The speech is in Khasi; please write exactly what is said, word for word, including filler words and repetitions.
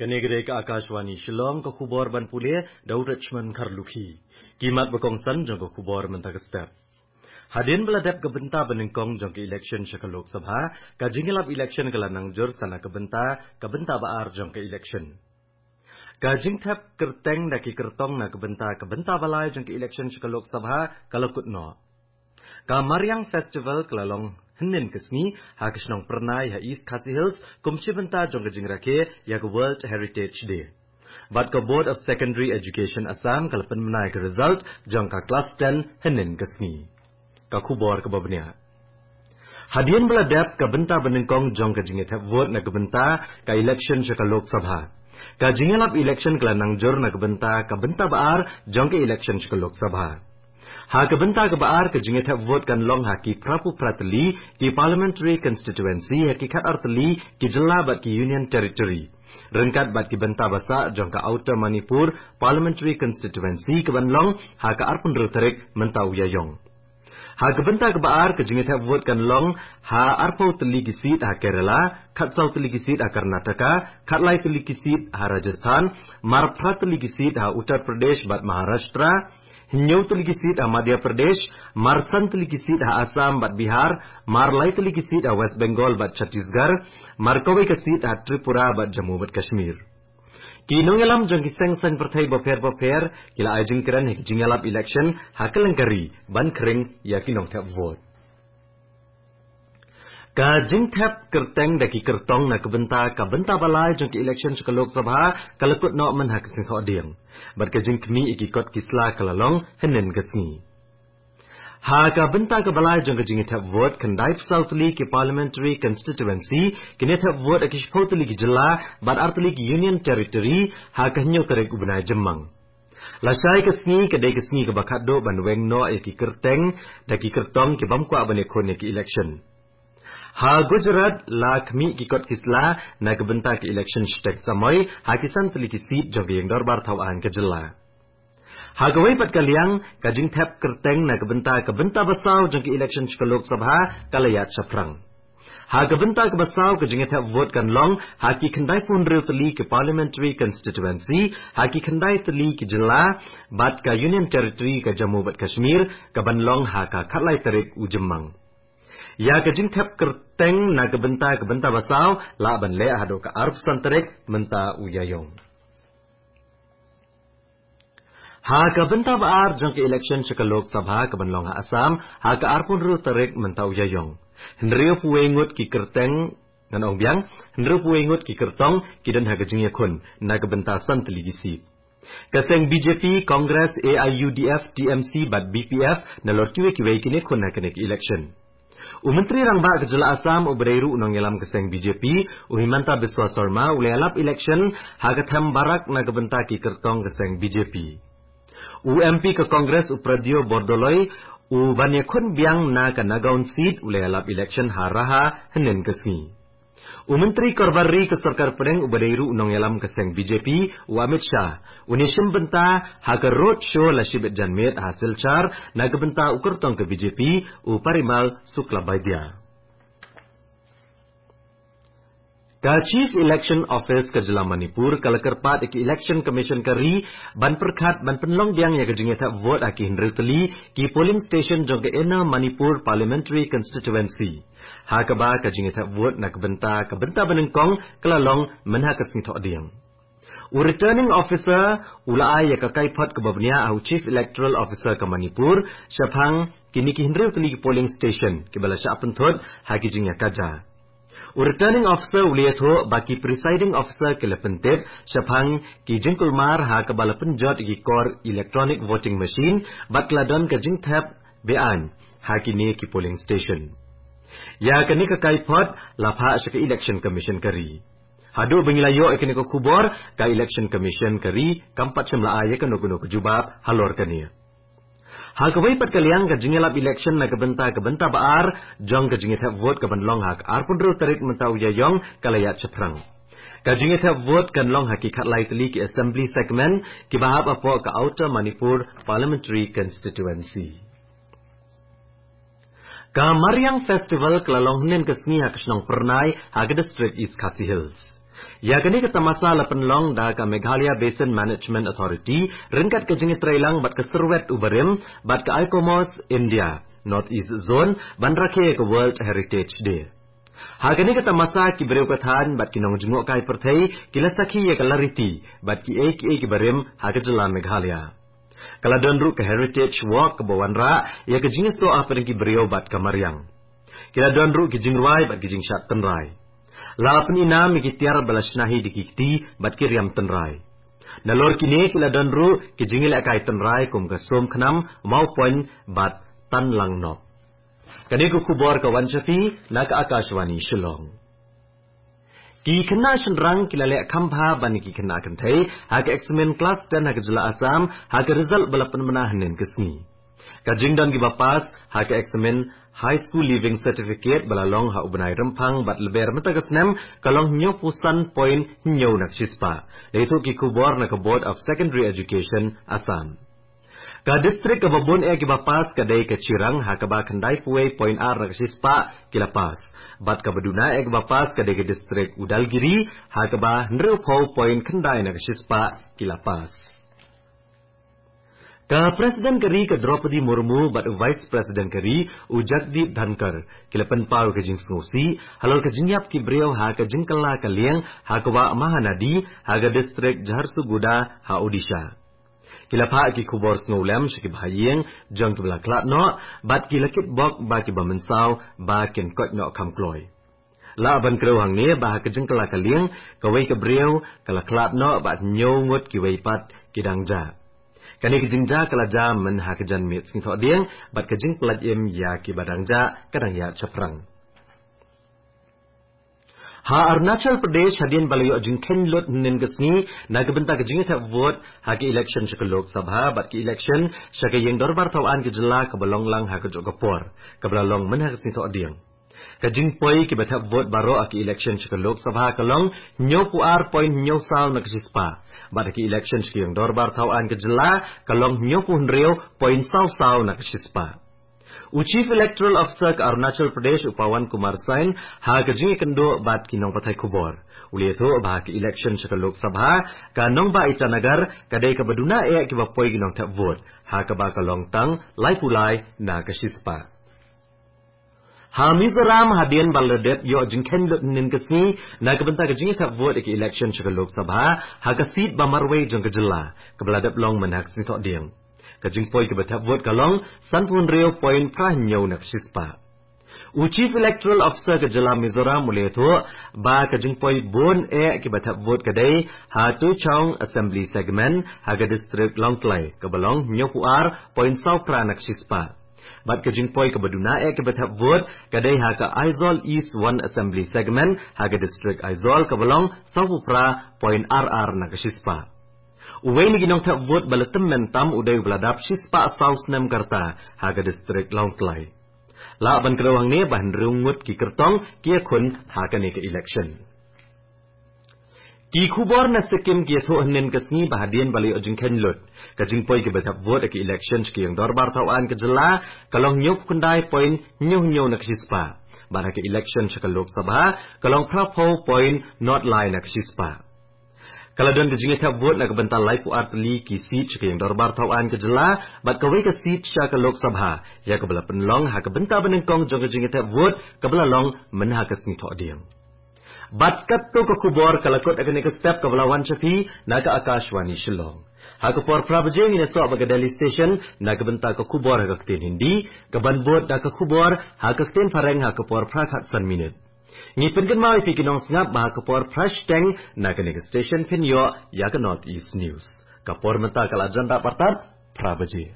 Kane ka dei ka Akashvani Shillong, ka khubor ban pule da u Richmond Kharlukhi. Ki mat ba kongsan jong ka khubor mynta ka step. Hadien ba la dep ka bynta ba nyngkong jong ka election sha ka Lok Sabha, ka jingïalap election ka la nang jur sa na ka bynta, ka bynta ba ar jong ka election. Ka jingthep kyrteng da ki kyrtong na ka bynta, ka bynta ba lai jong ka election sha ka Lok Sabha ka la kut noh. Ka Mariang Festival ka la long hynnin ka sngi ha ka shnong Pyrnai ha East Khasi Hills, kum shi bynta jong ka jingrakhe ïa ka World Heritage Day. Bad ka Board of Secondary Education Assam ka la pynbna ïa ka result jong ka Class ten hynnin ka sngi. Ka khubor kaba bniah. Hadien ba la dep ka bynta ba nyngkong jong ka jingïathep vote na ka bynta ka election sha ka Lok Sabha, ka jingïalap election ka la nang jur na ka bynta, ka bynta ba ar jong ka election sha ka Lok Sabha. Ha ka bynta kaba ar, ka jingïathep vote kan long ha ki phra phew phra tylli ki parliamentary constituency, ha ki khat ar tylli ki jylla bad ki Union Territory, ryngkat bad ki bynta ba sah jong ka Outer Manipur Parliamentary Constituency, ka ban long ha ka arphew hynriew tarik mynta u Ïaïong. Ha ka bynta kaba ar, ka jingïathep vote kan long ha arphew tylli ki seat ha Kerala, khatsaw tylli ki seat ha Karnataka, khatlai tylli ki seat ha Rajasthan, marphra tylli ki seat ha Uttar Pradesh bad Maharashtra, hynñiew tylli ki seat ha Madhya Pradesh, marsan tylli ki seat ha Assam bad Bihar, marlai tylli ki seat ha West Bengal bad Chhattisgarh, markawei ka seat ha Tripura bad Jammu bad Kashmir. Ki nongïalam jong ki seng saiñ pyrthei bapher bapher ki la ai jingkren ha ki jingïalap election ha kylleng ka ri ban khring ïa ki nongthep vote. Ka jingthep kyrteng da ki kyrtong na ka bynta, ka bynta ba lai jong ka election sha ka Lok Sabha ka la kut noh mynha ka sngi Thohdieng, bad ka jingkhmih ïa ki kot ki sla ka la long hynnin ka sngi. Ha ka bynta kaba lai jong ka jingïathep vote, khyndai phew saw tylli ki parliamentary constituency kin ïathep vote ha ki shiphew tylli ki jylla bad ar tylli ki Union Territory ha ka hynñiew tarik u bnai Jymmang. Lashai ka sngi ka dei ka sngi kaba khatduh ban weng noh ïa ki kyrteng da ki kyrtong ki bym kwah ban ïakhun ïa ki election. Ha Gujarat la khmih ki kot ki sla na ka bynta ka election shtek samoi ha ki san tylli ki seat jong ka ïing dorbar thaw aiñ ka jylla. Ha kawei pat ka liang, ka jingthep kyrteng na ka bynta, ka bynta ba saw jong ka election sha ka Lok Sabha ka la ïaid shaphrang. Ha ka bynta kaba saw, ka jingthep vote kan long ha ki khyndai phew hynriew tylli ki parliamentary constituency ha ki khyndai tylli ki jylla bad ka Union Territory ka Jammu bad Kashmir, ka ban long ha ka khatlai tarik u Jymmang. Ïa ka jingthep kyrteng na ka bynta, ka bynta ba saw lah ban leh haduh ka arphew san tarik mynta u Ïaïong. Ha ka bynta ba ar jong ka election sha ka Lok Sabha ka ban long ha Assam ha ka arphew hynriew tarik mynta u Ïaïong, hynriew phew wei ngut ki kyrteng, ngan ong biang, hynriew phew wei ngut ki kyrtong ki don ha ka jingïakhun na ka bynta san tylli ki seat. Ka seng B J P, Congress, A I U D F, T M C bad B P F nalor kiwei kiwei kin ïakhun ha kane ka election. U Myntri Rangbah ka jylla Assam uba dei ruh u nongïalam ka seng B J P, u Himanta Biswa Sarma, u la ïalap election ha ka them barak na ka bynta ki kyrtong ka seng B J P. U M P ka Congress, u Pradyo Bordoloi, u ban ïakhun biang na ka Nagaon seat, u la ïalap election ha Raha hynnin ka sngi. U Myntri Korbar Ri ka Sorkar Pdeng uba dei ruh u nongïalam ka seng B J P, u Amit Shah, un ïashim bynta ha ka road show lashibit janmiet ha Silchar na ka bynta u kyrtong ka B J P, u Parimal Suklabaidya. Ka Chief Election Office ka jylla Manipur ka la kyrpad ïa ka Election Commission ka ri ban pyrkhat ban pynlong biang ïa ka jingïathep vote ha ki hynriew tylli ki polling station jong ka Inner Manipur Parliamentary Constituency, ha kaba ka jingïathep vote na ka bynta, ka bynta ba nyngkong ka la long mynha ka sngi Thohdieng. U Returning Officer u la ai ïa ka kaiphod kaba bniah ha u Chief Electoral Officer ka Manipur shaphang kine ki hynriew tylli ki polling station kiba la shah pynthut ha ki jingïakajia. U Returning Officer u la ïathuh ba ki Presiding Officer ki la pyntip shaphang ki jingkulmar ha kaba la pynjot ïa ki kor electronic voting machine bad ka la don ka jingthep beaiñ ha kine ki polling station. Ïa kane ka kaiphod la phah sha ka Election Commission ka ri. Haduh ba ngi la ïoh ïa kane ka khubor, ka Election Commission ka ri kam pat shym la ai ïa kano kano ka jubab halor kane. Ha kawei pat ka liang, ka jingïalap election na ka bynta, ka bynta ba ar jong ka jingïathep vote ka ban long ha ka arphew hynriew tarik mynta u Ïaïong ka la ïaid shaphrang. Ka jingïathep vote kan long ha ki khatlai tylli ki assembly segment kiba hap hapoh ka Outer Manipur Parliamentary Constituency. Ka Mariang Festival ka la long hynnin ka sngi ha ka shnong Pyrnai ha ka district East Khasi Hills. Ïa kane ka tamasa la pynlong da ka Meghalaya Basin Management Authority ryngkat ka jingïatreilang bad ka Syrwet u Barim bad ka ICOMOS India North East Zone ban rakhe ïa ka World Heritage Day. Ha kane ka tamasa ki briew ka thaiñ bad ki nongjngohkai pyrthei ki la sakhi ïa ka lariti bad kiei kiei ki barim ha ka jylla Meghalaya. Ka la don ruh ka Heritage Walk kaba wanrah ïa ka jingïasoh hapdeng ki briew bad ka mariang. Ki la don ruh ki jingrwai bad ki jingshad tynrai. La pyni nam ïa ki tiar ba la shna hi da ki kti bad ki riam tynrai. Nalor kine ki la don ruh ki jingïalehkai tynrai kum ka Sum Khnam, Mawpoin bad Tan Lang Nok. Kane ka khubor ka wan sha phi na ka Akashvani Shillong. Ki khynnah shynrang ki la leh kham bha ban ïa ki khynnah kynthei ha ka eksamin klas ten ha ka jylla Assam ha ka result ba la pynbna hynnin ka sngi. Ka jingdon kiba pass ha ka eksamin High School Leaving Certificate ba la long ha u bnai Rymphang bad Lber mynta ka snem ka long hynñiewphew san point hynñiew na ka shispah. La ïathuh ki khubor na ka Board of Secondary Education Assam. Ka district kaba bun eh kiba pass ka dei ka Chirang ha kaba khyndaiphew wei point ar na ka shispah ki la pass. Bad kaba duna eh kiba pass ka dei ka district u Dalgiri ha kaba hynriewphew point khyndai na ka shispah ki la pass. Ka President ka ri ka Droupadi Murmu bad u Vice President ka ri u Jagdeep Dhankhar ki la pynpaw ka jingsngewsih halor ka jingïap ki briew ha ka jingkylla ka lieng ha ka wah Mahanadi ha ka district Jharsuguda ha Odisha. Ki la phah ki khubor sngewlem sha ki bahaïing jong kiba la khlad noh bad ki la kitbok ba kiba mynsaw ba kin koit noh kham kloi. Lah ban kdew hangne ba ha ka jingkylla ka lieng kawei ka briew ka la khlad noh bad hynñiew ngut kiwei pat ki dang jah. Kane ka jingjia ka la jia myn ha ka janmiet Sngi Thohdieng bad ka jingpyllait im ïa kiba dang jah ka dang ïaid shaphrang. Ha Arunachal Pradesh, hadien ba la ïoh jingkheiñ lut hynnin ka sngi na ka bynta ka jingïathep vote ha ka election sha ka Lok Sabha bad ka election sha ka Ïing Dorbar Thaw Aiñ ka jylla kaba long lang ha kajuh ka por kaba la long myn ha ka Sngi Thohdieng. Ka jingpoi kiba thep vote baroh ha ka election sha ka Lok Sabha ka long hynñiewphew ar point hynñiew saw na ka shispah bad ha ka election sha ka Ïing Dorbar Thaw Aiñ ka jylla ka long hynñiewphew hynriew point saw saw na ka shispah. U Chief Electoral Officer ka Arunachal Pradesh u Pawan Kumar Sain ha ka jingïakynduh bad ki nongpathai khubor u la ïathuh ba ha ka election sha ka Lok Sabha ka nongbah Itanagar ka dei kaba duna eh kiba poi ki nongthep vote ha kaba ka long tang laiphew lai na ka shispah. Ha Mizoram, hadien ba la dep ïoh jingkheiñ lut hynnin ka sngi na ka bynta ka jingïathep vote ïa ka election sha ka Lok Sabha ha ka seat ba marwei jong ka jylla kaba la dep long myn ha ka Sngi Thohdieng. Ka jingpoi kiba thep vote ka long sanphew hynriew point phra hynñiew na ka shispah. U Chief Electoral Officer ka jylla Mizoram u la ïathuh ba ka jingpoi bun eh kiba thep vote ka dei ha Tuichaung Assembly Segment ha ka district Lawngtlai kaba long hynñiewphew ar point saw phra na ka shispah. Bad ka jingpoi kaba duna eh kiba thep vote ka dei ha ka Aizawl East One Assembly Segment ha ka district Aizawl kaba long sawphew phra point ar ar na ka shispah. Uwei na ki nongthep vote ba la tymmen tam u dei uba la dap shispah saw snem ka rta ha ka district Lawngtlai. Lah ban kdew hangne ba hynriew ngut ki kyrtong ki ïakhun ha kane ka election. Ki khubor na Sikkim ki ïathuh hynnin ka sngi ba hadien ba la ïoh jingkheiñ lut, ka jingpoi kiba thep vote ha ka election sha ka Ïing Dorbar Thaw Aiñ ka jylla ka long hynñiewphew khyndai point hynñiew hynñiew na ka shispah. Bad ha ka election sha ka Lok Sabha ka long phraphew point nod lai na ka shispah. Ka la don ka jingïathep vote na ka bynta laiphew ar tylli ki seat sha ka Ïing Dorbar Thaw Aiñ ka jylla bad kawei ka seat sha ka Lok Sabha ïa kaba la pynlong ha ka bynta ba nyngkong jong ka jingïathep vote kaba la long myn ha ka Sngi Thohdieng. Bad katto ka khubor ka la kut ha kane ka step kaba la wan sha phi na ka Akashvani Shillong. Ha ka por phra baje ngin ïasoh bad ka Delhi Station na ka bynta ka khubor ha ka ktien Hindi, kaban bud da ka khubor ha ka ktien Phareng ha ka por phra khatsan minit. Ngi pynkynmaw ïa phi ki nongsngap ba ha ka por phra shiteng na kane ka station phin ïoh ïa ka North East News. Ka por mynta ka la jan da pyrtat phra baje.